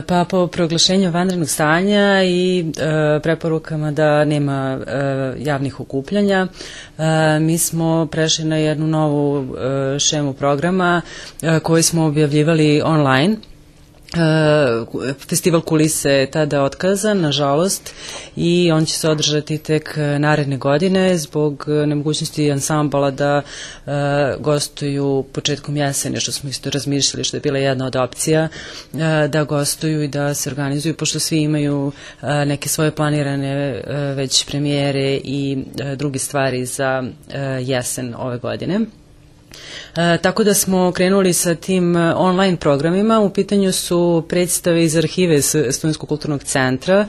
Pa po proglašenju vanrednog stanja i preporukama da nema javnih okupljanja, mi smo prešli na jednu novu šemu programa koju smo objavljivali online. Festival Kulise je tada otkazan, nažalost, i on će se održati tek naredne godine zbog nemogućnosti ansambala da gostuju početkom jesene, što smo isto razmišljali, što je bila jedna od opcija, da gostuju i da se organizuju, pošto svi imaju neke svoje planirane već premijere i druge stvari za jesen ove godine. Tako da smo krenuli sa tim online programima. U pitanju su predstave iz arhive Studentskog kulturnog centra,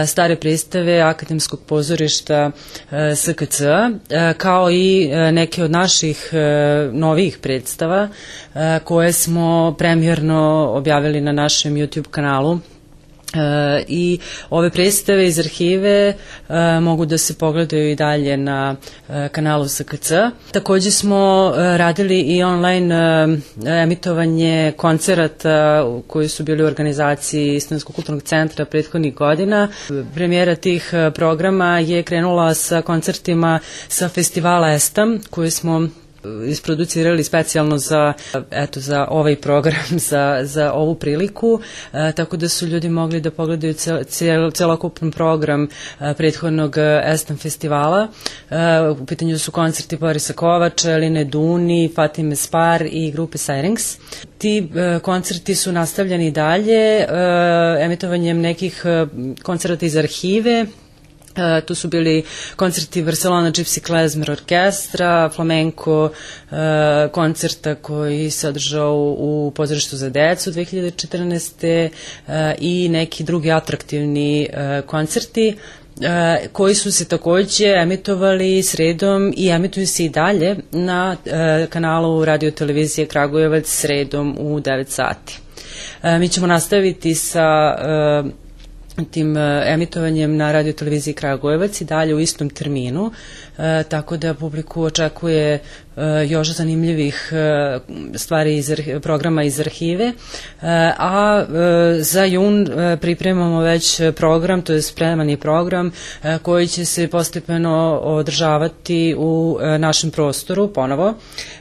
stare predstave Akademskog pozorišta SKC, kao i neke od naših novih predstava koje smo premijerno objavili na našem YouTube kanalu. I ove predstave iz arhive mogu da se pogledaju i dalje na kanalu SKC. Takođe smo radili i online emitovanje koncerata koji su bili u organizaciji Studentskog kulturnog centra prethodnih godina. Premijera tih programa je krenula sa koncertima sa festivala Estam, koji smo isproducirali specijalno za ovaj program, za ovu priliku, tako da su ljudi mogli da pogledaju celokupan program prethodnog Estam festivala. U pitanju su koncerti Borisa Kovača, Eline Duni, Fatime Spar i grupe Syrinx. Ti koncerti su nastavljeni dalje emitovanjem nekih koncerata iz arhive. Tu su bili koncerti Barcelona Gypsy Klezmer orkestra, flamenko koncerta koji se održao u pozorištu za decu 2014. I neki drugi atraktivni koncerti koji su se takođe emitovali sredom i emituju se i dalje na kanalu Radio televizije Kragujevac sredom u 9 sati. Mi ćemo nastaviti sa tim emitovanjem na Radio televiziji Kragujevac i dalje u istom terminu, tako da publiku očekuje još zanimljivih stvari iz programa iz arhive, a za jun pripremamo već program, to je spreman je program koji će se postepeno održavati u našem prostoru ponovo,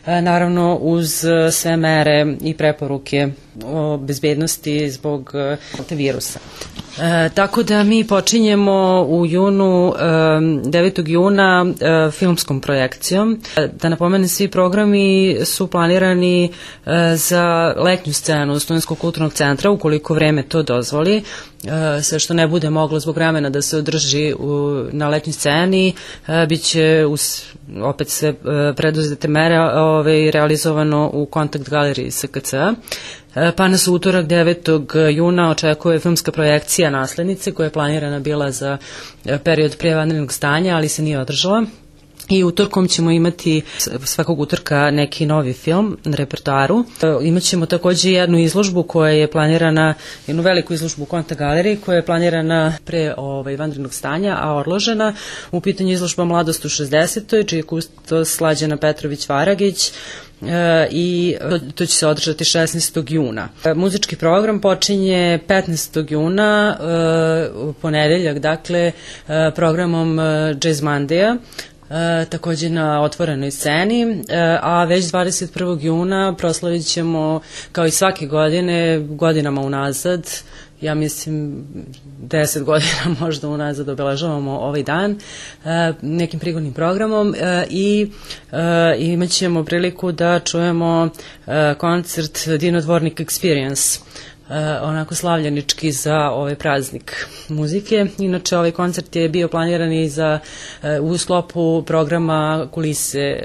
naravno uz sve mere i preporuke o bezbednosti zbog virusa. Tako da mi počinjemo u junu, 9. juna, filmskom projekcijom. Da napomenem, svi programi su planirani za letnju scenu Studentskog kulturnog centra, ukoliko vreme to dozvoli. Sve što ne bude moglo zbog vremena da se održi na letnjoj sceni, bit će opet sve preduzete mere realizovano u kontakt galeriji SKC-a. Pa nas utorak 9. juna očekuje filmska projekcija Naslednice koja je planirana bila za period pre vanrednog stanja, ali se nije održala. I utorkom ćemo imati svakog utorka neki novi film na repertoaru. Imaćemo takođe jednu izložbu koja je planirana, jednu veliku izložbu u Konta galeriji koja je planirana pre vanrednog stanja, a odložena. U pitanju izložba Mladost u 60. čiji je kustos Slađana Petrović-Varagić, i to će se održati 16. juna. Muzički program počinje 15. juna, u ponedeljak, dakle, programom Jazz Monday-a, takođe na otvorenoj sceni, a već 21. juna proslavit ćemo, kao i svake godine, godinama unazad, ja mislim 10 godina možda unazad obeležavamo ovaj dan nekim prigodnim programom i imat ćemo priliku da čujemo koncert Dinodvornik Experience, onako slavljenički za ovaj praznik muzike. Inače, ovaj koncert je bio planiran i u sklopu programa Kulise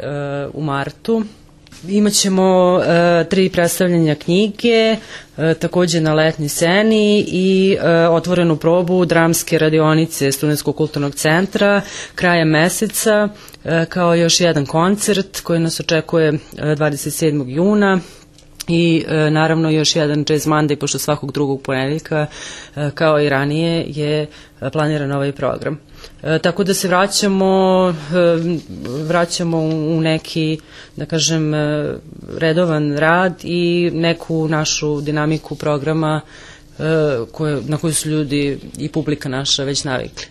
u martu. Imaćemo 3 predstavljanja knjige, takođe na letnjoj sceni i otvorenu probu dramske radionice Studentskog kulturnog centra krajem meseca, kao još jedan koncert koji nas očekuje 27. juna. I naravno još jedan Jazz Monday, pošto svakog drugog ponedeljka, kao i ranije, je planiran ovaj program. Tako da se vraćamo u neki, da kažem, redovan rad i neku našu dinamiku programa na koju su ljudi i publika naša već navikli.